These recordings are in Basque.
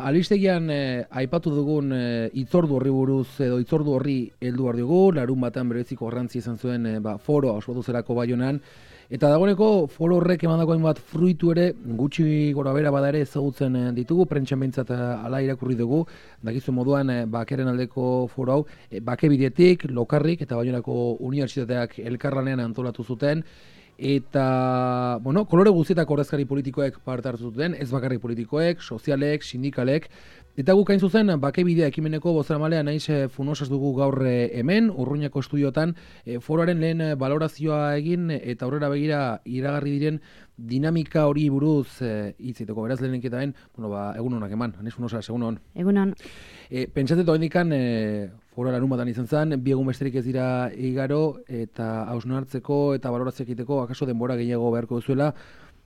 Alistegian aipatu dugun hitzordu horri buruz edo hitzordu horri heldu behar dugu, larun batean bereziko garrantzi izan zuen foroa ospatu zelako Baionan, eta dagoeneko foro horrek emandako hainbat fruitu ere gutxi gora bera bada ere ezagutzen ditugu, prentsan behintzat hala irakurri dugu, dakizu moduan bakeren aldeko foro hau, bake bidetik, lokarrik eta Baionako unibertsitateak elkarlanean antolatu zuten, eta, bueno, kolore guztietako ordezkari politikoek parte hartu zuten, ez bakarrik politikoek, sozialek, sindikalek, eta guk hain zuzen, bakebidea ekimeneko bozeramailean naiz Funosas dugu gaur hemen, Urruñako estudiotan, foroaren lehen balorazioa egin, eta aurrera begira iragarri diren dinamika hori buruz hitzeiteko, beraz lehenik eta egun honak eman, Naiz Funosas, egun hon. Egun hon. Pentsatzen doendikan, foroa larun batan izan zen, bi egun besterik ez dira igaro, eta hausnartzeko eta balorazioak egiteko, akaso denbora gehiago beharko duzuela,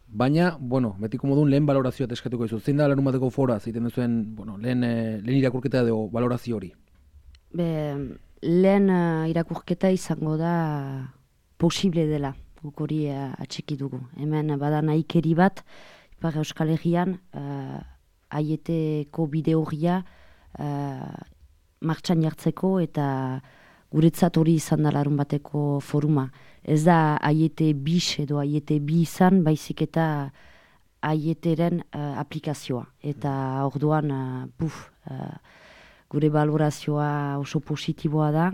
baina, betiko modun lehen balorazioa eskatuko dizu. Zein da larun bateko foroa, zeiten duzuen, lehen irakurketa edo balorazio hori? Lehen irakurketa izango da posible dela, guk hori atxiki dugu. Hemen bada nahikeri bat, Ipar Euskal Herrian, aieteko bide horria martxan jartzeko eta guretzat hori izan da larun bateko foruma. Ez da aiete bis edo aiete bi izan, baizik eta aieteren aplikazioa. Eta orduan, gure balorazioa oso positiboa da.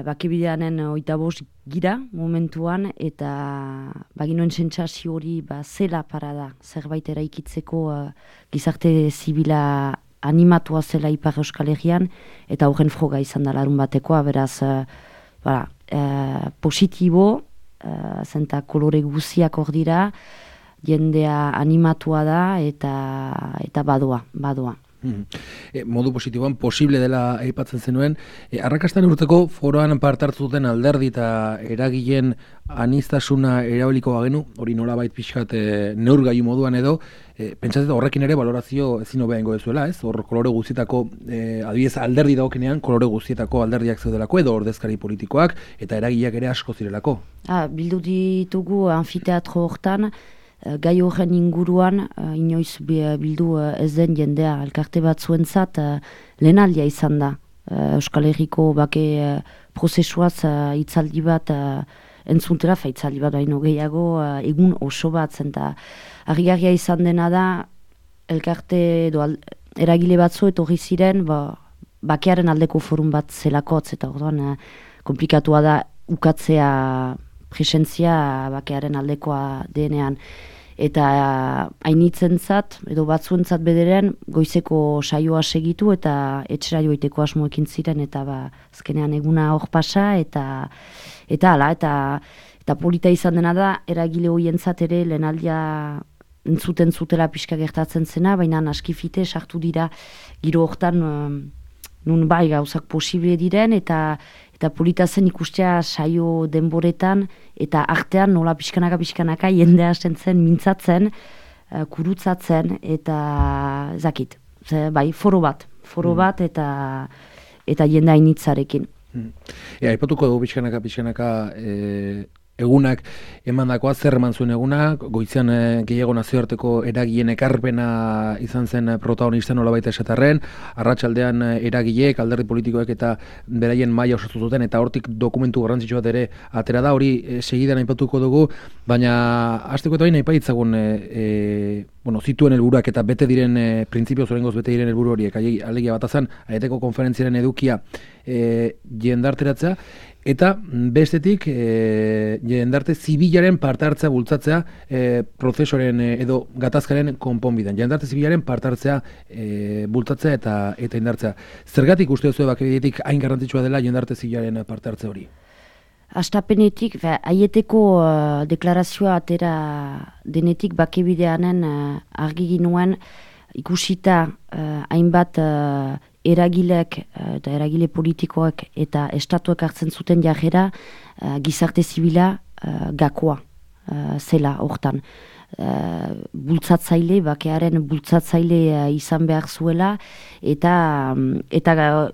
Bakebideanen 25 gira momentuan, eta baginoen sentsazio hori zela parada, zerbait eraikitzeko gizarte zibila animatua zela Ipar Euskal Herrian, eta horren froga izan da larun batekoa, beraz, positibo, zenta kolore guziak hor dira, jendea animatua da, eta badoa. Modu positiboan posible dela aipatzen zenuen, arrakastan urteko foroan parte hartu duten alderdi eta eragileen aniztasuna erabiliko bagenu, hori nolabait pixkat neurgailu moduan edo, pentsatzen horrekin ere balorazio ezin hobea ingo dezuela, ez? Hor kolore guztietako, adibidez alderdi dagokenean, kolore guztietako alderdiak zeudelako edo ordezkari politikoak eta eragileak ere asko zirelako. Bildu ditugu anfiteatro hortan, gai horren inguruan, inoiz bildu ez den jendea, elkarte batzuentzat lehenaldia izan da. Euskal Herriko bake prozesuaz hitzaldi bat entzuntera, hitzaldi bat baino gehiago, egun oso bat zen, eta argigarria izan dena da, elkarte edo eragile batzu etorri ziren, bakearen aldeko forum bat zelakotz, eta orduan komplikatua da ukatzea presentzia bakearen aldekoa denean. Eta hainitzentzat, edo batzuentzat bederen, goizeko saioa segitu eta etxera joiteko asmoekin ziren, eta azkenean eguna hor pasa, eta polita izan dena da, eragile hoientzat ere lehenaldia entzuten zutela pixka gertatzen zena, baina askifite sartu dira giro hortan nun gauzak posible diren, eta polita zen ikustea saio denboretan, eta artean nola pixkanaka jendea hasten zen mintzatzen, kurutzatzen, eta zakit, foro bat eta jendea initzarekin. Aipatuko dugu pixkanaka egunak emandakoa, zer eman zuen egunak, goizean gehiago nazioarteko eragileen ekarpena izan zen protagonista nolabait esatarren, arratsaldean eragileek, alderdi politikoek eta beraien maila osatu zuten, eta hortik dokumentu garrantzitsu bat ere atera da, hori segidan aipatuko dugu, baina hasteko eta baina aipaitzagun zituen helburuak eta bete diren printzipioz oraingoz bete diren helburu horiek, alegia batazan, aieteko konferentziaren edukia jendarteratzea, eta bestetik jendarte zibilaren parte hartzea bultzatzea prozesoren edo gatazkaren konponbidean. Jendarte zibilaren parte hartzea bultzatzea eta indartzea. Zergatik uste duzu bakebidetik hain garrantzitsua dela jendarte zibilaren parte hartze hori? Astapenetik, aieteko deklarazioa atera denetik bakebideanen argi ginuen ikusita hainbat eragilek eta eragile politikoak eta estatuek hartzen zuten jarrera gizarte zibila gakoa zela hortan. Bakearen bultzatzaile izan behar zuela, eta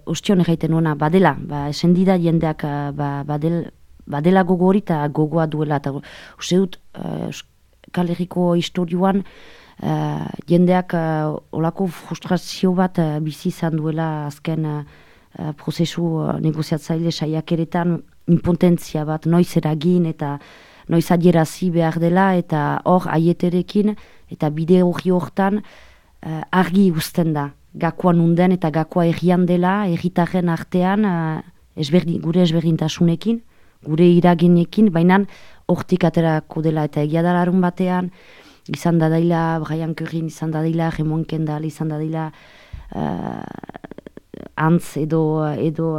ostion erraiten nuena badela, esendida jendeak badela gogo hori eta gogoa duela. Uste dut, Euskal Herriko historioan jendeak olako frustrazio bat bizi izan duela azken prozesu negoziatzaile saiakeretan, impotentzia bat noiz eragin eta noiz adierazi behar dela, eta hor aieterekin eta bide hori hortan argi uzten da gakoa nunden eta gakoa errian dela, erritarren artean gure ezberdintasunekin, gure iraginekin, baina hortik aterako dela, eta egia da larun batean izan dadaila Brian Currin, izan dadaila Raymond Kendall, izan dadaila Antz edo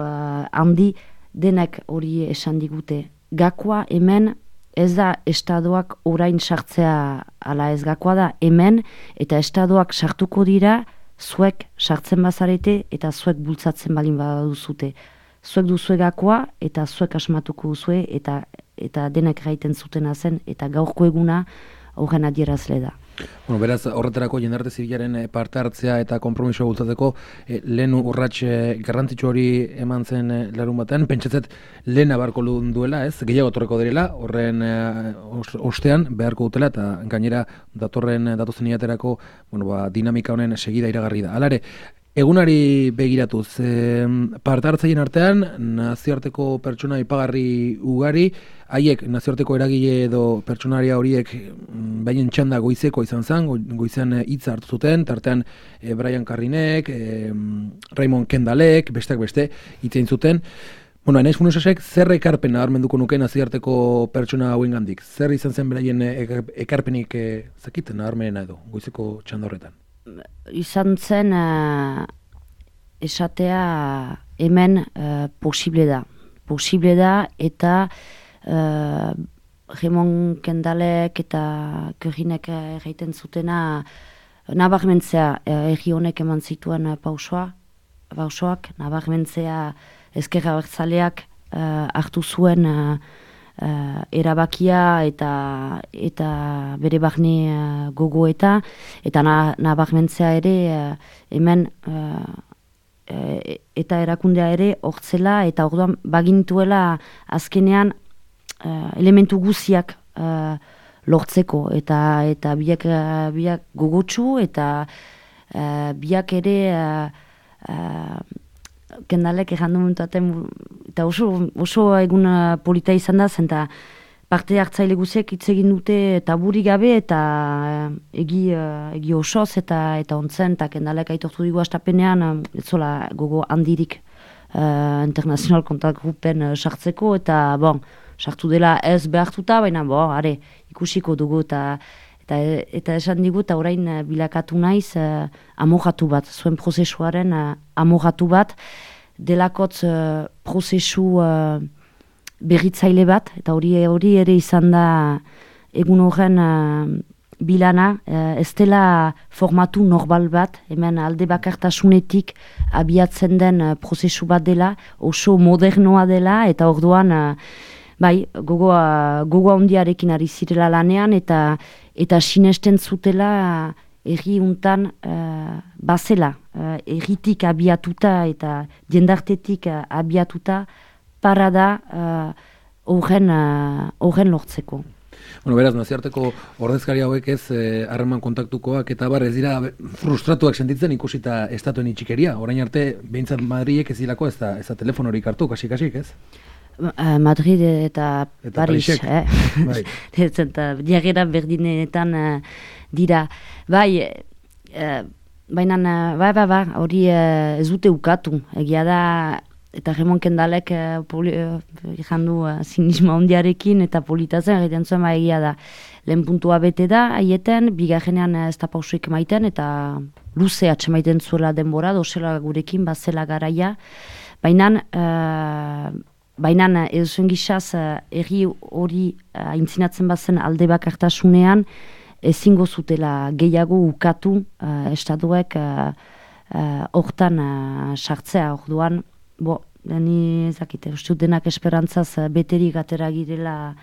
handi, denak hori esan digute. Gakoa hemen ez da estadoak orain sartzea ala ez, gakoa da hemen, eta estadoak sartuko dira zuek sartzen bazarete eta zuek bultzatzen balin baduzute. Zuek duzue gakoa eta zuek asmatuko duzue, eta denak gaiten zutena zen, eta gaurko eguna horren adierazle da. Bueno, beraz, horretarako jendarte zibilaren parte hartzea eta konpromisoa bultzatzeko lehen urrats garrantzitsu hori eman zen larun batean, pentsatzet lehen abarko duela, ez? Gehiago torreko direla, horren ostean beharko dutela, eta gainera datozen hilaterako dinamika honen segida iragarri da. Hala ere, egunari begiratuz, parte hartzaien artean, nazioarteko pertsona ipagarri ugari, haiek nazioarteko eragile edo pertsonaria horiek bainen txanda goizeko izan zen, goizean hitza hartu zuten, tartean Brian Carrinek, Raymond Kendallek, besteak beste hitzein zuten. Bueno, Anaiz Funesasek zer ekarpen nabarmenduko nuke nazioarteko pertsona hauengandik? Zer izan zen beraien ekarpenik zakiten nabarmenena edo goizeko txanda horretan? Izan zen esatea hemen posible da, eta Raymond Kendallek eta Currinek egiten zutena nabarmentzea erri honek eman zituen pausoak, nabarmentzea ezker abertzaleak hartu zuen erabakia eta bere barne gogoeta, eta nabarmentzea ere hemen eta erakundea ere hortzela, eta orduan bagintuela azkenean elementu guziak lortzeko, eta biak gogotsu, eta biak ere Kendallek errandu momentuaten, eta oso egun polita izan da, zenta parte hartzaile guziek hitz egin dute taburi gabe, eta egi osoz eta ontzen, eta Kendallek aitortu digu astapenean, ez zola gogo handirik international contact groupen sartzeko, eta sartu dela ez behartuta, baina ikusiko dugu, eta esan digu, eta orain bilakatu naiz amorratu bat, zuen prozesuaren amorratu bat, delakotz prozesu berritzaile bat, eta hori ere izan da egun horren bilana, ez dela formatu normal bat, hemen alde bakartasunetik abiatzen den prozesu bat dela, oso modernoa dela, eta orduan gogoa handiarekin ari zirela lanean, eta sinesten zutela erri untan bazela, erritik abiatuta eta jendartetik abiatuta parada horren lortzeko. Bueno, beraz, nazioarteko ordezkari hauek ez harreman kontaktukoak eta ez dira frustratuak sentitzen ikusita estatuen itxikeria. Orain arte, behintzat Madrilek ez dilako ez da telefonorik hartu, kasik, ez? Madrid eta Paris, Bai. Diagera berdinetan dira. Baina hori ez dute ukatu. Egia da, eta Raymond Kendallek jandu zinismo handiarekin eta politazen egiten zuen, egia da. Lehen puntua bete da, haieten, bigarrenean ez da pausuik maiten, eta luze atxemaiten zuela denbora, dozela gurekin, bazela garaia. Baina eduzuen gizaz, erri hori aintzinatzen bazen alde bakartasunean, ezingo zutela gehiago ukatu estatuek hortan sartzea. Orduan, ni ezakite, uste denak esperantzaz beterik atera girela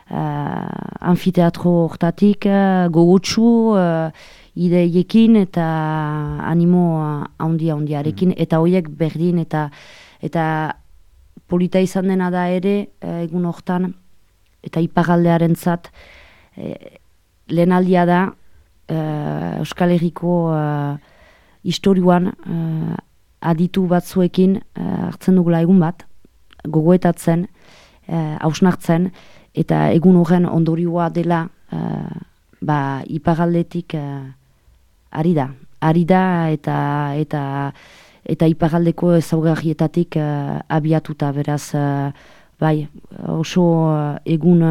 anfiteatro hortatik, gogotsu, ideiekin eta animo handiarekin, eta horiek berdin, eta polita izan dena da ere, egun hortan, eta iparaldearen zat, lehenaldia da, Euskal Herriko historioan aditu batzuekin hartzen dugula egun bat, gogoetatzen, hausnartzen, eta egun horren ondorioa dela iparaldetik ari da. Ari da eta iparaldeko ezaugarrietatik abiatuta, beraz, oso egun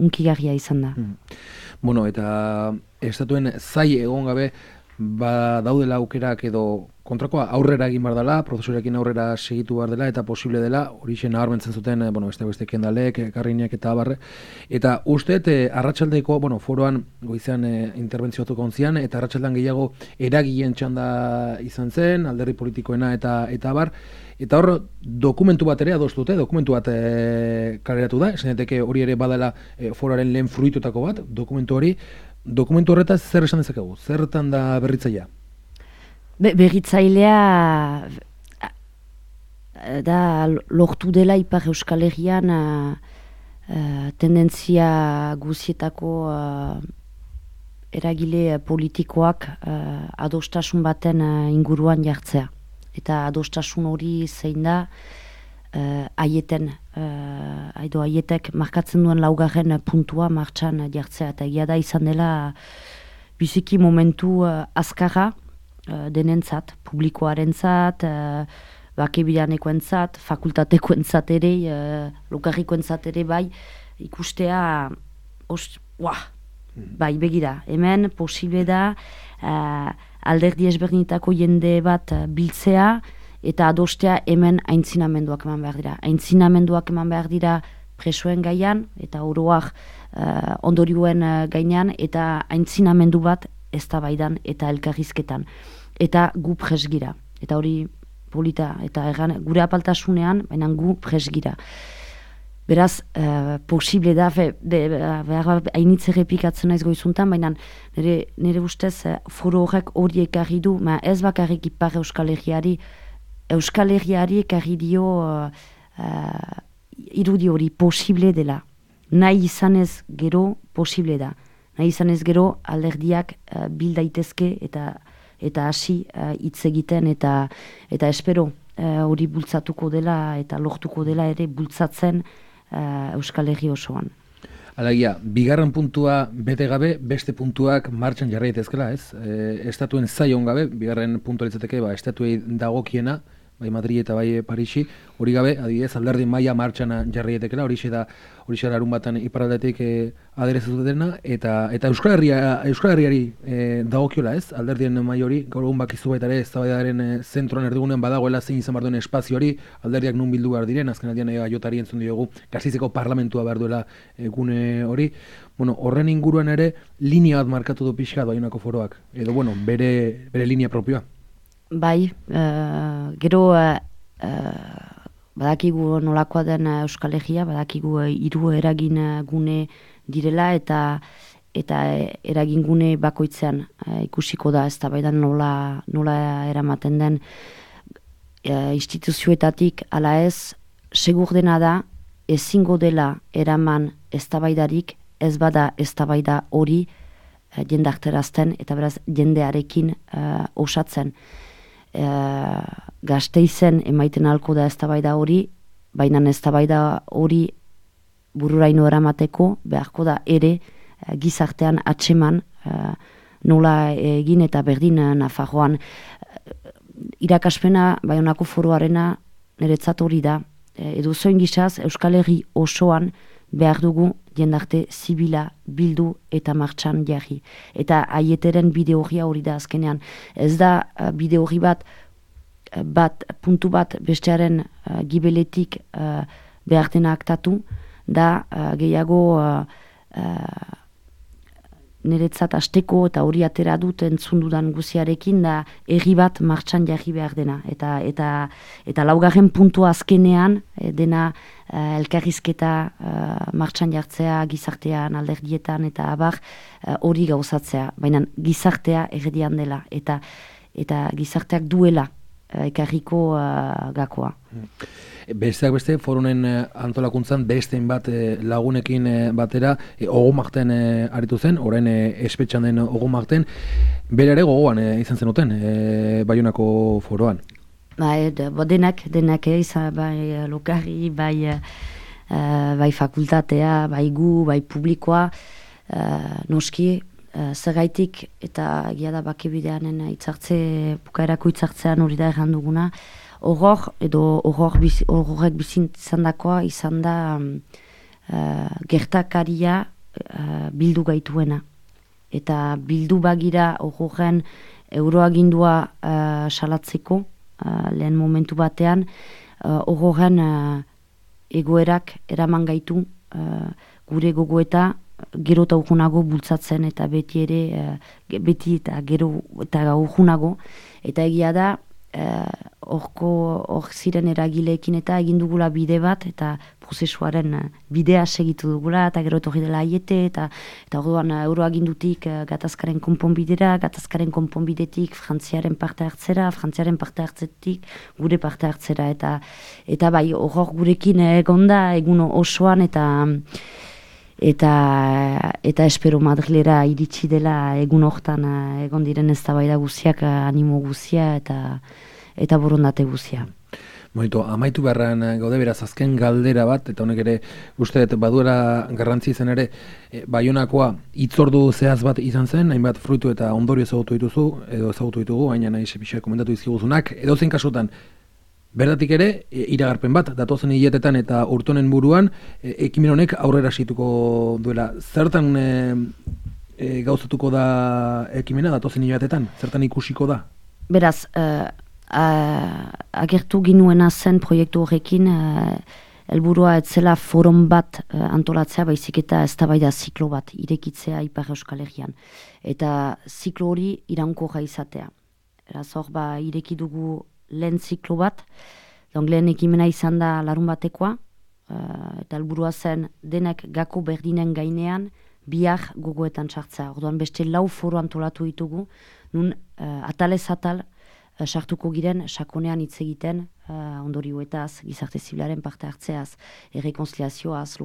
unkigarria izan da. Bueno, eta estatuen zai egon gabe, daudela aukerak edo kontrakoa aurrera egin behar dela, prozesurekin aurrera segitu behar dela, eta posible dela, hori nabarmentzen zuten, beste kendalek, karrinek eta abarre. Eta uste, arratsaldeko, foroan goizean interbentzio batzuk ontzian, eta arratsaldean gehiago eragien txanda izan zen, alderdi politikoena eta abar, eta hor dokumentu bat ere adostute, dokumentu bat kaleratu da, esan daiteke hori ere badala foroaren lehen fruitutako bat, dokumentu horretaz zer esan dezakegu? Zertan da berritzailea? Berritzailea da lortu dela Ipar Euskal Herrian tendentzia guzietako eragile politikoak adostasun baten inguruan jartzea. Eta adostasun hori zein da aietek markatzen duen laugarren puntua martxan jartzea. Eta egia da izan dela biziki momentu azkarra denentzat, publikoarentzat, bakebidanekoentzat, fakultatekoentzat ere, lokarrikoentzat ere bai, ikustea, bai begira, hemen posible da alderdi ezberdinetako jende bat biltzea eta adostea hemen aintzinamenduak eman behar dira. Aintzinamenduak eman behar dira presoen gaian eta oroak ondorioen gainean eta aintzinamendu bat eztabaidan eta elkarrizketan. Eta gu presgira. Eta hori polita eta gure apaltasunean, baina gu presgira. Beraz, posible da, hainitze repikatzen naiz goizuntan, baina nire ustez foro horrek hori ekarri du, ez bakarrik Ipar Euskal Herriari, Euskal Herriari ekarri dio irudi hori posible dela. Nahi izanez gero posible da. Nahi izanez gero alderdiak bil daitezke eta hasi hitz egiten eta espero hori bultzatuko dela eta lortuko dela ere bultzatzen Euskal Herri osoan. Alagia, bigarren puntua bete gabe, beste puntuak martxan jarri daitezkela, ez? Estatuen zaion gabe, bigarren puntua litzateke, estatuei dagokiena, bai Madrid eta bai Parisi, hori gabe, adibidez, alderdi maila martxan jarri daitekeela, hori da larun batan iparaldetik aderezatu dena, eta Euskal Herriari dagokiola, ez? Alderdien maila hori, gaur egun bakizu baita ere, eztabaidaren zentroan erdigunen badagoela zein izan behar duen espazio hori, alderdiak nun bildu behar diren, azken aldian jotari entzun diogu, Gasteizeko parlamentua behar duela gune hori. Horren inguruan ere, linea bat markatu du pixkat Baionako foroak, edo bere linea propioa. Bai, gero badakigu nolakoa den Euskal Herria, badakigu hiru eragin gune direla eta eragin gune bakoitzean ikusiko da eztabaidan nola eramaten den instituzioetatik ala ez, segur dena da ezingo dela eraman eztabaidarik ez bada eztabaida hori jendarterazten eta beraz jendearekin osatzen. Gasteizen emaiten ahalko da eztabaida hori, baina eztabaida hori bururaino eramateko beharko da ere gizartean atseman nola egin eta berdin Nafarroan. Irakaspena Baionako foroarena niretzat hori da. Edozein gizaz Euskal Herri osoan behar dugu jendarte zibila bildu eta martxan jarri. Eta aieteren bide horria hori da azkenean. Ez da bide horri bat puntu bat bestearen gibeletik behar dena aktatu, da gehiago niretzat asteko eta hori atera dut entzundudan guziarekin da herri bat martxan jarri behar dena. Eta laugarren puntua azkenean dena elkarrizketa martxan jartzea gizartean, alderdietan eta abar hori gauzatzea. Baina gizartea erdian dela eta gizarteak duela ekarriko gakoa. Besteak beste, forunen antolakuntzan besteen bat lagunekin batera ogomakten aritu zen, orain espetxan den ogomakten, bere ere gogoan izan zenuten Baionako foroan. Denak izan, bai lokarri, bai fakultatea, bai gu, bai publikoa, noski, zergaitik eta gira da bakebideanen bukaerako itzartzean hori da erran duguna, horrek bizin zandakoa izan da gertakaria bildu gaituena. Eta bildu bagira horren euroagindua salatzeko lehen momentu batean, horren egoerak eraman gaitu gure gogoeta gero eta urgunago bultzatzen eta beti eta gero eta urgunago. Eta egia da, hor ziren eragileekin eta egin dugula bide bat eta prozesuaren bidea segitu dugula eta gero etorri dela aiete eta orduan euroagindutik gatazkaren konponbidera, gatazkaren konponbidetik Frantziaren parte hartzera, Frantziaren parte hartzetik gure parte hartzera eta bai hor gurekin egonda egun osoan eta espero Madrilera iritsi dela egun hortan egon diren eztabaida guziak, animo guzia eta borondate guzia. Moito, amaitu beharran gaude beraz azken galdera bat, eta honek ere uste dut baduela garrantzi zen ere, Baionakoa hitzordu zehaz bat izan zen, hainbat fruitu eta ondorio ezagutu dituzu, edo ezagutu ditugu, baina nahi sepixak komentatu izkiguzunak, edo zein kasutan, berdatik ere, iragarpen bat, datozen hiletetan eta urtonen buruan, ekimen honek aurrera situko duela. Zertan gauzatuko da ekimena datozen hiletetan? Zertan ikusiko da? Beraz, agertu ginuena zen proiektu horrekin, helburua etzela forum bat antolatzea, baizik eta eztabaida ziklo bat irekitzea Ipar Euskal Herrian. Eta ziklo hori iraunkorra izatea. Beraz, hor ireki dugu lehen ziklo bat, lehen ekimena izan da larun batekoa, eta helburua zen denek gako berdinen gainean bihar gogoetan sartzea. Orduan beste 4 foro antolatu ditugu, nun atalez atal sartuko giren sakonean hitz egiten ondorioetaz, gizarte zibilaren parte hartzeaz, errekonziliazioaz,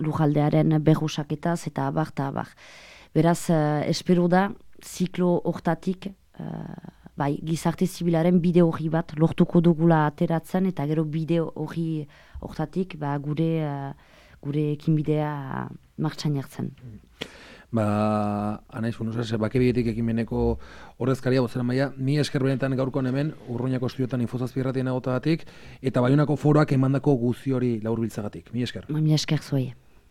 lujaldearen berrusaketaz eta abar eta abar. Beraz, espero da, ziklo hortatik bai, gizarte zibilaren bide hori bat lortuko dugula ateratzen eta gero bide hori hortatik gure ekinbidea martxan jartzen. Anaiz, bakebidetik ekimeneko ordezkaria bozera maia, mi esker benetan gaurkoan hemen, Urruñako estudiotan Infozazpi irratien agotagatik, eta Baionako foroak emandako guzi hori laurbiltzagatik. Mi esker. Mi esker zuei.